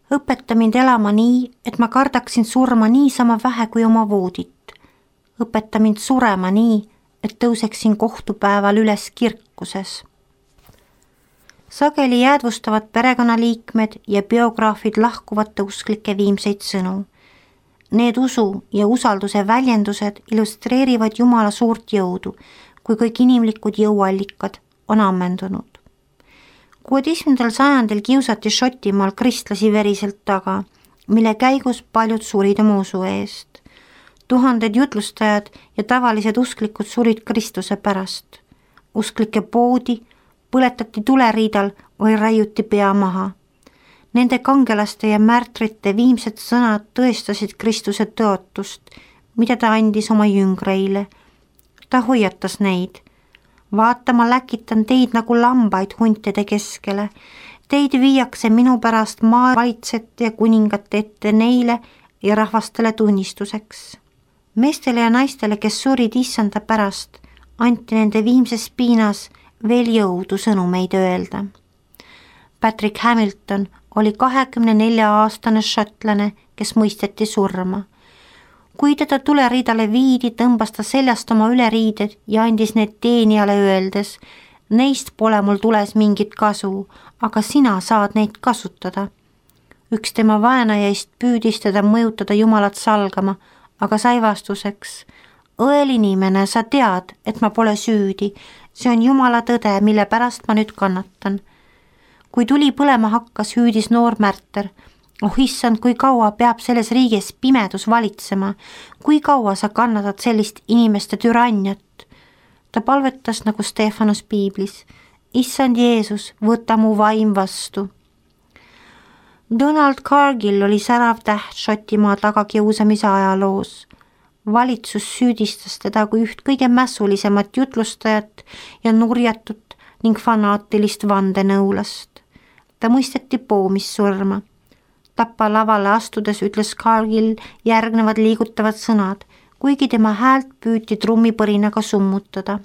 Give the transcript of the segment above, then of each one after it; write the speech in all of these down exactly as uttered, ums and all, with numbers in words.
Õpeta mind elama nii, et ma kardaksin surma niisama vähe kui oma voodit. Õpeta mind surema nii, et tõuseksin kohtupäeval üles kirkuses. Sageli jäädvustavad perekonnaliikmed ja biograafid lahkuvate usklike viimseid sõnu. Need usu ja usalduse väljendused illustreerivad Jumala suurt jõudu, kui kõik inimlikud jõuallikad on ammendunud. kuueteistkümnendal sajandil kiusati Šotimaal kristlasi veriselt taga, mille käigus paljud surid oma usu eest. Tuhanded jutlustajad ja tavalised usklikud surid Kristuse pärast. Usklike poodi põletati tuleriidal või raiuti pea maha. Nende kangelaste ja märtrite viimsed sõnad tõestasid Kristuse tõotust, mida ta andis oma jüngreile. Ta hoiatas neid. Vaata, ma läkitan teid nagu lambaid huntide keskele. Teid viiakse minu pärast maavalitsete ja kuningate ette neile ja rahvastele tunnistuseks. Meestele ja naistele, kes surid issanda pärast, anti nende viimses piinas veel jõudu sõnumeid öelda. Patrick Hamilton oli kahekümne nelja aastane šotlane, kes mõisteti surma. Kui teda tuleriidale viidi, tõmbas ta seljast oma üleriided ja andis need teenijale öeldes, neist pole mul tules mingit kasu, aga sina saad neid kasutada. Üks tema vaenajaist püüdis teda mõjutada Jumalat salgama, aga sai vastuseks, õel inimene, sa tead, et ma pole süüdi, see on Jumala tõde, mille pärast ma nüüd kannatan. Kui tuli põlema hakkas, hüüdis noor märter, oh issand, kui kaua peab selles riigis pimedus valitsema, kui kaua sa kannatad sellist inimeste türanniat. Ta palvetas nagu Stefanus piiblis, issand Jeesus, võta mu vaim vastu. Donald Cargill oli särav täht Šotimaa tagakiusamise ajaloos. Valitsus süüdistas teda kui üht kõige mässulisemat jutlustajat ja nurjatut ning fanaatilist vandenõulast. Ta mõisteti poomissurma. Tappa lavale astudes ütles Cargill järgnevad liigutavad sõnad, kuigi tema häält püüti trummipõrinaga summutada.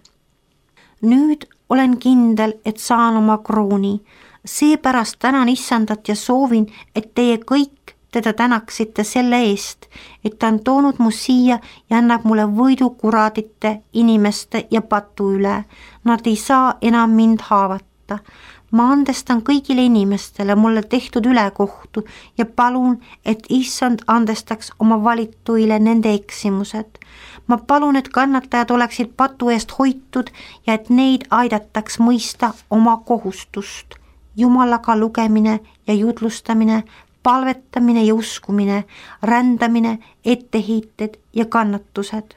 Nüüd olen kindel, et saan oma krooni. Seepärast tänan issandat ja soovin, et teie kõik teda tänaksite selle eest, et ta on toonud mu siia ja annab mulle võidu kuradite, inimeste ja patu üle. Nad ei saa enam mind haavata. Ma andestan kõigile inimestele mulle tehtud ülekohtu ja palun, et issand andestaks oma valituile nende eksimused. Ma palun, et kannatajad oleksid patu eest hoitud ja et neid aidataks mõista oma kohustust. Jumalaga lugemine ja jutlustamine, palvetamine ja uskumine, rändamine, etteheited ja kannatused.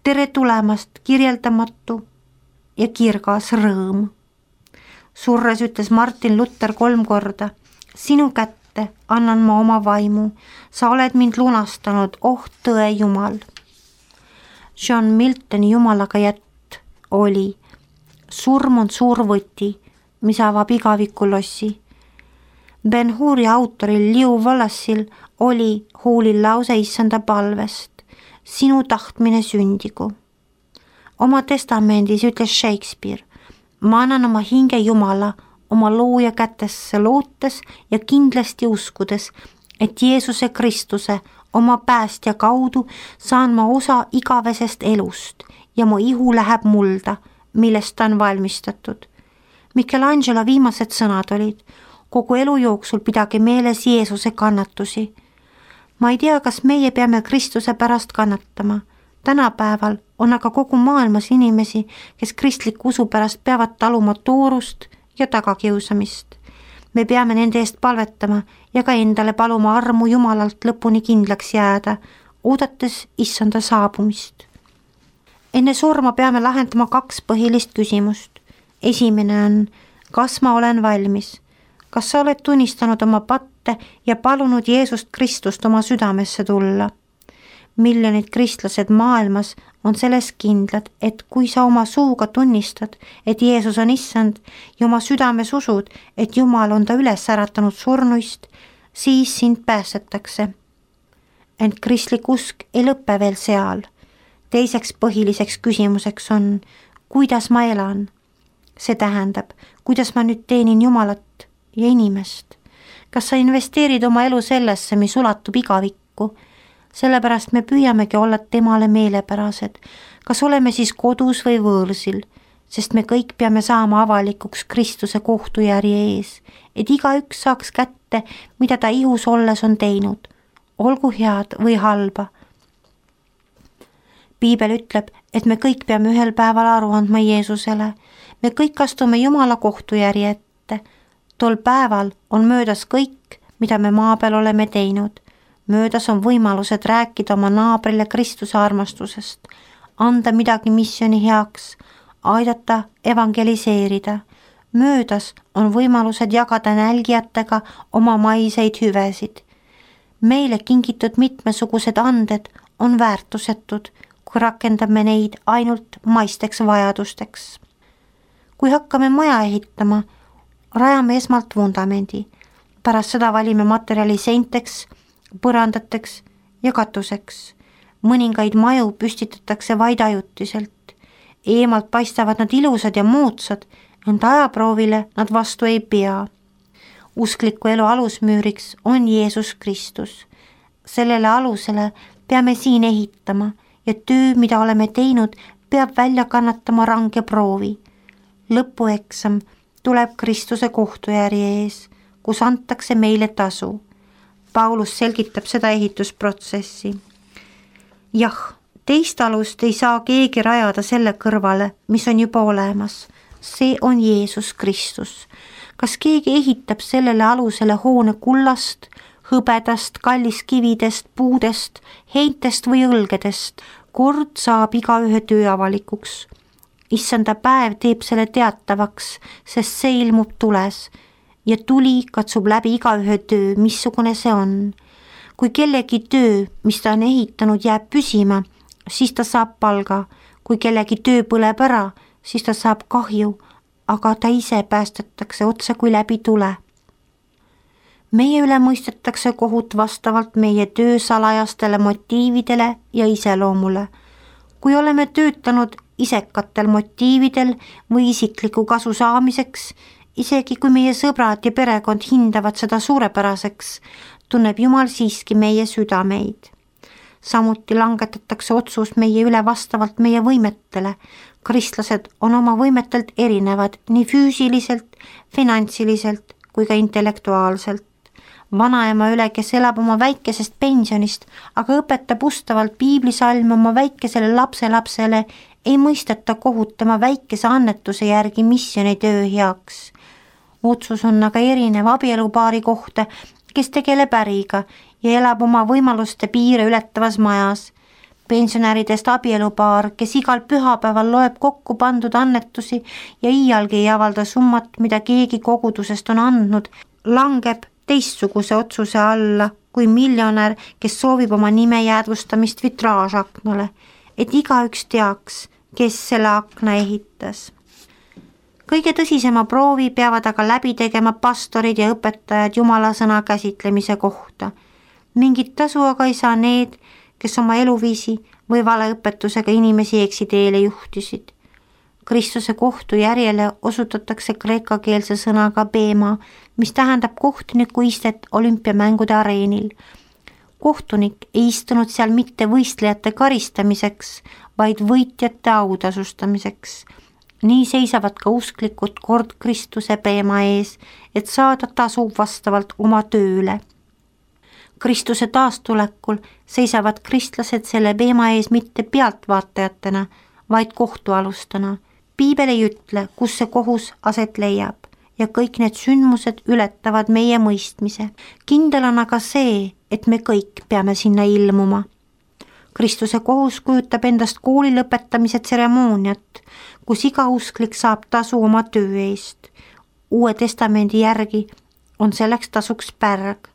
Tere tulemast, kirjeldamatu ja kirgas rõõm. Surres ütles Martin Luther kolm korda, sinu kätte annan ma oma vaimu, sa oled mind lunastanud, oh tõe Jumal. John Miltoni Jumalaga jätt oli, surm on suur võti, mis avab igavikulossi. Ben Huri autoril Liu Wallace'il oli huulil lause issanda palvest, sinu tahtmine sündigu. Oma testamendis ütles Shakespeare, ma annan oma hinge Jumala, oma looja kätesse lootes ja kindlasti uskudes, et Jeesuse Kristuse, oma päästja kaudu saan ma osa igavesest elust ja mu ihu läheb mulda, millest ta on valmistatud. Michelangelo viimased sõnad olid, kogu elu jooksul pidage meeles Jeesuse kannatusi. Ma ei tea, kas meie peame Kristuse pärast kannatama. Tänapäeval on aga kogu maailmas inimesi, kes kristliku usu pärast peavad taluma toorust ja tagakiusamist. Me peame nende eest palvetama ja ka endale paluma armu Jumalalt lõpuni kindlaks jääda, oodates issanda saabumist. Enne surma peame lahendama kaks põhilist küsimust. Esimene on, kas ma olen valmis? Kas sa oled tunnistanud oma patte ja palunud Jeesust Kristust oma südamesse tulla? Miljonid kristlased maailmas on selles kindlad, et kui sa oma suuga tunnistad, et Jeesus on issand ja oma südames usud, et Jumal on ta üles äratanud surnuist, siis sind päästetakse. Ent kristlik usk ei lõppe veel seal. Teiseks põhiliseks küsimuseks on, kuidas ma elan? See tähendab, kuidas ma nüüd teenin Jumalat ja inimest. kas sa investeerid oma elu sellesse, mis ulatub igavikku? Sellepärast me püüamegi olla temale meelepärased, kas oleme siis kodus või võõrsil, sest me kõik peame saama avalikuks Kristuse kohtujärje ees, et igaüks saaks kätte, mida ta ihus olles on teinud, olgu head või halba. Piibel ütleb, et me kõik peame ühel päeval aru andma Jeesusele. Me kõik astume Jumala kohtujärje ette. Tol päeval on möödas kõik, mida me maa peal oleme teinud. Möödas on võimalused rääkida oma naabrile Kristuse armastusest, anda midagi missiooni heaks, aidata evangeliseerida. Möödas on võimalused jagada nälgijatega oma maiseid hüvesid. Meile kingitud mitmesugused anded on väärtusetud, kui rakendame neid ainult maisteks vajadusteks. Kui hakkame maja ehitama, rajame esmalt vundamendi, pärast seda valime materjali seinteks, põrandateks ja katuseks. Mõningaid maju püstitatakse vaid ajutiselt. Eemalt paistavad nad ilusad ja moodsad, ent ajaproovile nad vastu ei pea. Uskliku elu alusmüüriks on Jeesus Kristus. Sellele alusele peame siin ehitama ja töö, mida oleme teinud, peab välja kannatama range proovi. Lõpueksam tuleb Kristuse kohtujärje ees, kus antakse meile tasu. Paulus selgitab seda ehitusprotsessi. Jah, teist alust ei saa keegi rajada selle kõrvale, mis on juba olemas. See on Jeesus Kristus. Kas keegi ehitab sellele alusele hoone kullast, hõbedast, kalliskividest, puudest, heintest või õlgedest? Kord saab igaühe töö avalikuks. Issanda päev teeb selle teatavaks, sest see ilmub tules ja tuli katsub läbi igaühe töö, missugune see on. Kui kellegi töö, mis ta on ehitanud, jääb püsima, siis ta saab palga. Kui kellegi töö põleb ära, siis ta saab kahju, aga ta ise päästetakse otse kui läbi tule. Meie üle mõistetakse kohut vastavalt meie töö salajastele motiividele ja iseloomule. Kui oleme töötanud isekatel motiividel või isikliku kasu saamiseks, isegi kui meie sõbrad ja perekond hindavad seda suurepäraseks, tunneb Jumal siiski meie südameid. Samuti langetatakse otsus meie üle vastavalt meie võimetele. Kristlased on oma võimetelt erinevad nii füüsiliselt, finantsiliselt kui ka intellektuaalselt. Vanaema üle, kes elab oma väikesest pensionist, aga õpetab ustavalt piiblisalme oma väikesele lapselapsele, ei mõisteta kohut tema väikese annetuse järgi missiooni töö heaks. Otsus on aga erinev abielupaari kohta, kes tegeleb äriga ja elab oma võimaluste piire ületavas majas. Pensionäridest abielupaar, kes igal pühapäeval loeb kokku pandud annetusi ja iialgi ei avalda summat, mida keegi kogudusest on andnud, langeb teistsuguse otsuse alla kui miljonär, kes soovib oma nime jäädvustamist vitraažaknale, et igaüks teaks, kes selle akna ehitas. Kõige tõsisema proovi peavad aga läbi tegema pastorid ja õpetajad Jumala sõna käsitlemise kohta. Mingit tasu aga ei saa need, kes oma eluviisi või valeõpetusega inimesi eksiteele juhtisid. Kristuse kohtujärjele osutatakse kreekakeelse sõnaga bema, mis tähendab kohtuniku istet olümpiamängude areenil. Kohtunik ei istunud seal mitte võistlejate karistamiseks, vaid võitjate autasustamiseks. Nii seisavad ka usklikud kord Kristuse bema ees, et saada tasu vastavalt oma tööle. Kristuse taastulekul seisavad kristlased selle bema ees mitte pealtvaatajatena, vaid kohtualustena. Piibel ei ütle, kus see kohus aset leiab ja kõik need sündmused ületavad meie mõistmise. Kindel on aga see, et me kõik peame sinna ilmuma. Kristuse kohus kujutab endast kooli lõpetamise tseremooniat, kus iga usklik saab tasu oma töö eest. Uue testamendi järgi on selleks tasuks pärg.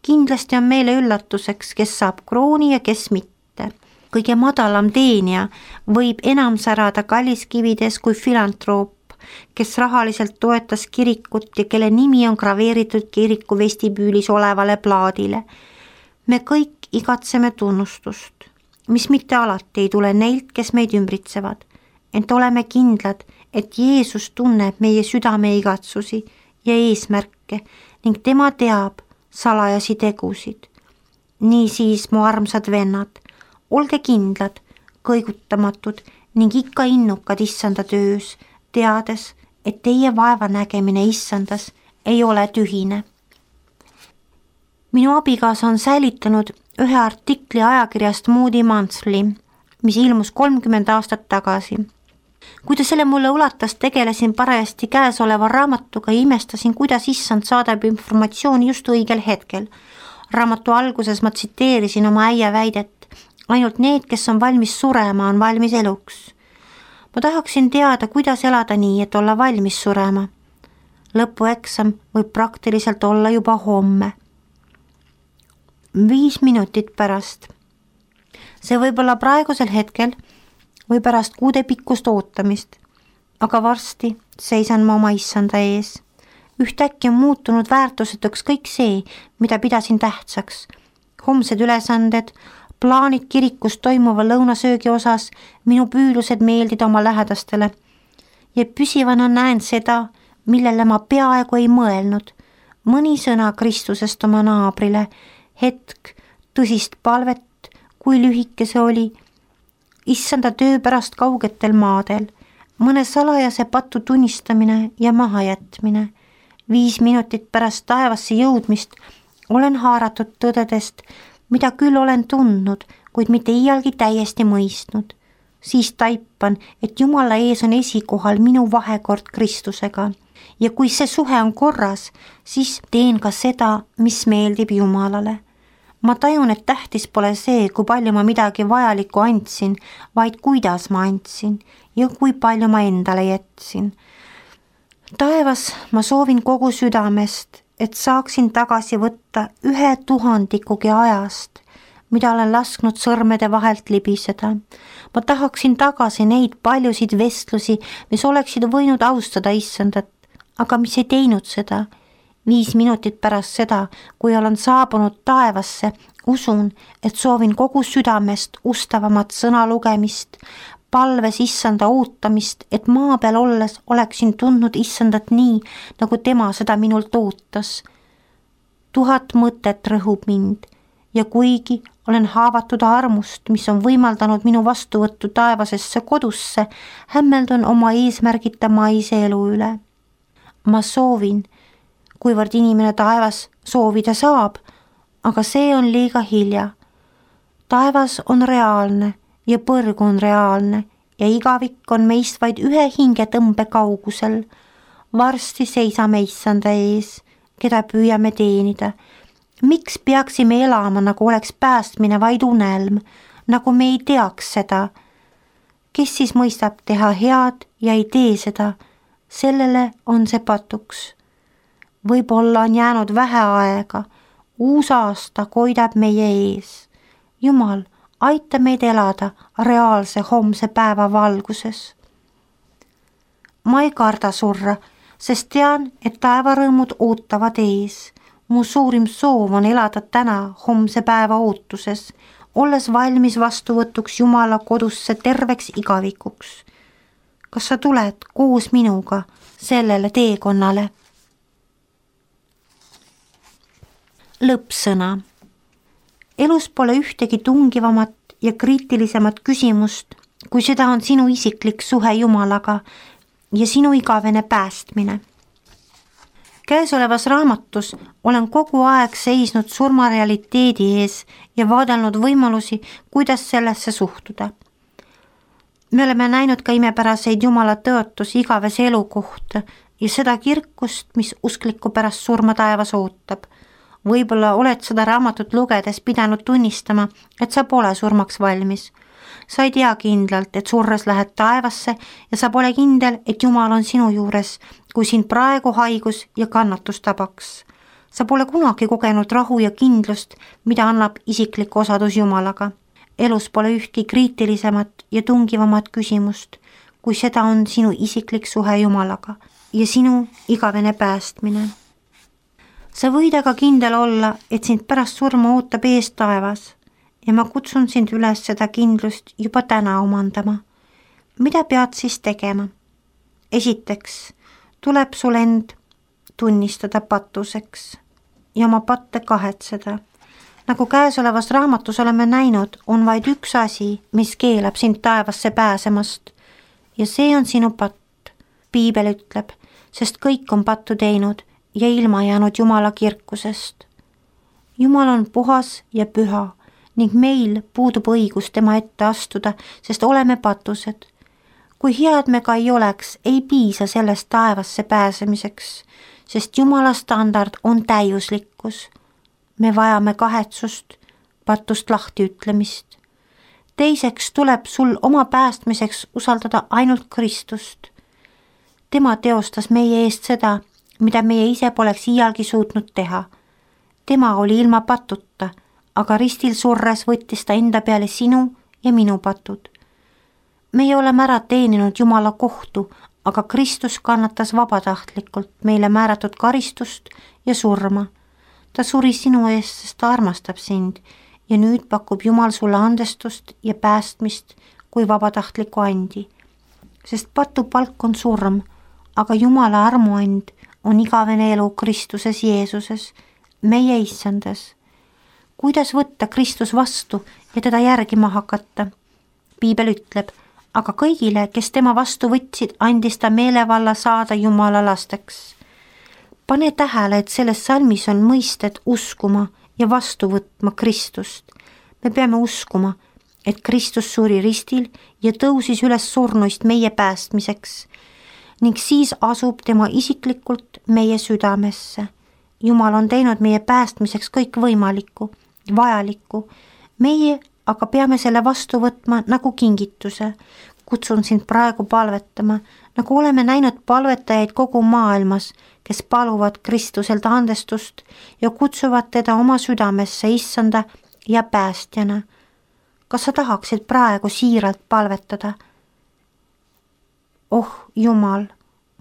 Kindlasti on meile üllatuseks, kes saab krooni ja kes mitte. Kõige madalam teenija võib enam särada kalliskivides kui filantroop, kes rahaliselt toetas kirikut ja kelle nimi on graveeritud kiriku vestibüülis olevale plaadile. Me kõik igatseme tunnustust, mis mitte alati ei tule neilt, kes meid ümbritsevad, ent oleme kindlad, et Jeesus tunneb meie südame igatsusi ja eesmärke raske ning tema teab salajasi tegusid. Niisiis, mu armsad vennad, olge kindlad, kõigutamatud ning ikka innukad issanda töös, teades, et teie vaeva nägemine issandas ei ole tühine. Minu abikaasa on säilitanud ühe artikli ajakirjast Moody Monthly, mis ilmus kolmkümmend aastat tagasi. Kui ta selle mulle ulatas, tegelesin parajasti käesoleva raamatuga ja imestasin, kuidas issand saadab informatsiooni just õigel hetkel. Raamatu alguses ma tsiteerisin oma äia väidet, ainult need, kes on valmis surema, on valmis eluks. Ma tahaksin teada, kuidas elada nii, et olla valmis surema. Lõpueksam võib praktiliselt olla juba homme. Viis minutit pärast. See võib olla praegusel hetkel või pärast kuude pikkust ootamist, aga varsti seisan ma oma issanda ees. Ühtäkki on muutunud väärtusetuks kõik see, mida pidasin tähtsaks. Homsed ülesanded, plaanid kirikus toimuva lõunasöögi osas, minu püülused meeldida oma lähedastele. Ja püsivana näen seda, millele ma peaaegu ei mõelnud. Mõni sõna Kristusest oma naabrile, hetk tõsist palvet, kui lühike see oli, issanda töö pärast kaugetel maadel, mõne salajase patu tunnistamine ja mahajätmine. Viis minutit pärast taevasse jõudmist olen haaratud tõdedest, mida küll olen tundnud, kuid mitte iialgi täiesti mõistnud. Siis taipan, et Jumala ees on esikohal minu vahekord Kristusega ja kui see suhe on korras, siis teen ka seda, mis meeldib Jumalale. Ma tajun, et tähtis pole see, kui palju ma midagi vajalikku andsin, vaid kuidas ma andsin ja kui palju ma endale jätsin. Taevas ma soovin kogu südamest, et saaksin tagasi võtta ühe tuhandikugi ajast, mida olen lasknud sõrmede vahelt libiseda. Ma tahaksin tagasi neid paljusid vestlusi, mis oleksid võinud austada issandat, aga mis ei teinud seda. Viis minutit pärast seda, kui olen saabunud taevasse, usun, et soovin kogu südamest ustavamat sõna lugemist, palves issanda ootamist, et maa peal olles oleksin tundnud issandat nii, nagu tema seda minult ootas. Tuhat mõtet rõhub mind ja kuigi olen haavatud armust, mis on võimaldanud minu vastuvõttu taevasesse kodusse, hämmeldun oma eesmärgita maise elu üle. Ma soovin, kuivõrd inimene taevas soovida saab, aga see on liiga hilja. Taevas on reaalne ja põrg on reaalne ja igavik on meist vaid ühe hingetõmbe kaugusel. Varsti seisame issanda ees, keda püüame teenida. Miks peaksime elama, nagu oleks päästmine vaid unelm, nagu me ei teaks seda? Kes siis mõistab teha head ja ei tee seda? Sellele on see patuks. Võib-olla on jäänud vähe aega, uus aasta koidab meie ees. Jumal, aita meid elada reaalse homse päeva valguses. Ma ei karda surra, sest tean, et taevarõõmud ootavad ees. Mu suurim soov on elada täna homse päeva ootuses, olles valmis vastuvõtuks Jumala kodusse terveks igavikuks. Kas sa tuled koos minuga sellele teekonnale? Lõppsõna. Elus pole ühtegi tungivamat ja kriitilisemat küsimust, kui seda on sinu isiklik suhe Jumalaga ja sinu igavene päästmine. Käesolevas raamatus olen kogu aeg seisnud surmarealiteedi ees ja vaadelnud võimalusi, kuidas sellesse suhtuda. Me oleme näinud ka imepäraseid Jumala tõotusi igavese elu kohta ja seda kirkust, mis uskliku pärast surma taevas ootab. Võib-olla oled seda raamatut lugedes pidanud tunnistama, et sa pole surmaks valmis. Sa ei tea kindlalt, et surres lähed taevasse ja sa pole kindel, et Jumal on sinu juures, kui sind praegu haigus ja kannatus tabaks. Sa pole kunagi kogenud rahu ja kindlust, mida annab isiklik osadus Jumalaga. Elus pole ühtki kriitilisemat ja tungivamat küsimust, kui seda on sinu isiklik suhe Jumalaga ja sinu igavene päästmine. Sa võid aga kindel olla, et sind pärast surma ootab ees taevas ja ma kutsun sind üles seda kindlust juba täna omandama. Mida pead siis tegema? Esiteks tuleb sul end tunnistada patuseks ja oma patte kahetseda. Nagu käesolevas raamatus oleme näinud, on vaid üks asi, mis keelab sind taevasse pääsemast ja see on sinu patt. Piibel ütleb, sest kõik on pattu teinud ja ilma jäänud Jumala kirkusest. Jumal on puhas ja püha ning meil puudub õigus tema ette astuda, sest oleme patused. Kui head me ka ei oleks, ei piisa sellest taevasse pääsemiseks, sest Jumala standard on täiuslikkus. Me vajame kahetsust, patust lahti ütlemist. Teiseks tuleb sul oma päästmiseks usaldada ainult Kristust. Tema teostas meie eest seda, mida meie ise poleks iialgi suutnud teha. Tema oli ilma patuta, aga ristil surres võttis ta enda peale sinu ja minu patud. Meie oleme ära teeninud Jumala kohtu, aga Kristus kannatas vabatahtlikult meile määratud karistust ja surma. Ta suri sinu eest, sest ta armastab sind ja nüüd pakub Jumal sulle andestust ja päästmist kui vabatahtliku andi. Sest patu palk on surm, aga Jumala armuand on igavene elu Kristuses Jeesuses, meie issandas. Kuidas võtta Kristus vastu ja teda järgima hakata? Piibel ütleb, aga kõigile, kes tema vastu võtsid, andis ta meelevalla saada Jumala lasteks. Pane tähele, et selles salmis on mõisted uskuma ja vastu võtma Kristust. Me peame uskuma, et Kristus suri ristil ja tõusis üles surnuist meie päästmiseks ning siis asub tema isiklikult meie südamesse. Jumal on teinud meie päästmiseks kõik võimalikku, vajalikku. Meie aga peame selle vastu võtma nagu kingituse. Kutsun sind praegu palvetama, nagu oleme näinud palvetajaid kogu maailmas, kes paluvad Kristuselt andestust ja kutsuvad teda oma südamesse issanda ja päästjana. Kas sa tahaksid praegu siiralt palvetada? Oh Jumal,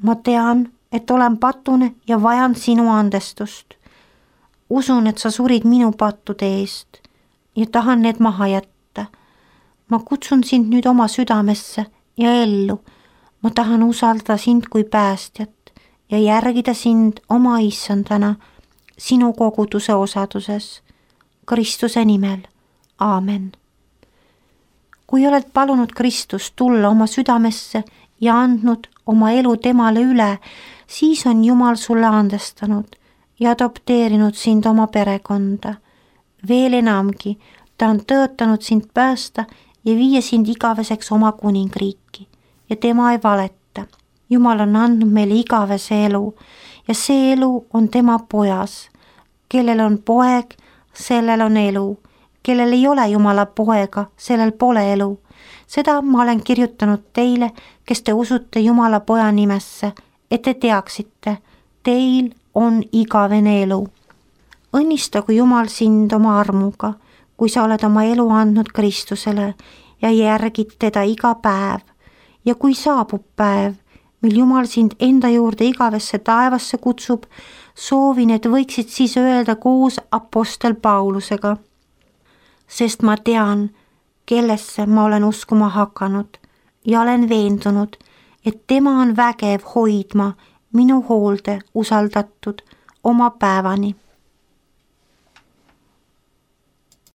ma tean, et olen patune ja vajan sinu andestust. Usun, et sa surid minu pattude eest ja tahan need maha jätta. Ma kutsun sind nüüd oma südamesse ja ellu. Ma tahan usaldada sind kui päästjat ja järgida sind oma issandana sinu koguduse osaduses. Kristuse nimel. Aamen. Kui oled palunud Kristust tulla oma südamesse ja andnud oma elu temale üle, siis on Jumal sulle andestanud ja adopteerinud sind oma perekonda. Veel enamgi, ta on tõotanud sind päästa ja viia sind igaveseks oma kuningriiki ja tema ei valeta. Jumal on andnud meile igavese elu ja see elu on tema pojas. Kellel on poeg, sellel on elu. Kellel ei ole Jumala poega, sellel pole elu. Seda ma olen kirjutanud teile, kes te usute Jumala poja nimesse, et te teaksite, teil on igavene elu. Õnnistagu Jumal sind oma armuga, kui sa oled oma elu andnud Kristusele ja järgid teda iga päev. Ja kui saabub päev, mil Jumal sind enda juurde igavesse taevasse kutsub, soovin, et võiksid siis öelda koos apostel Paulusega. Sest ma tean, kellesse ma olen uskuma hakanud ja olen veendunud, et tema on vägev hoidma minu hoolde usaldatud oma päevani.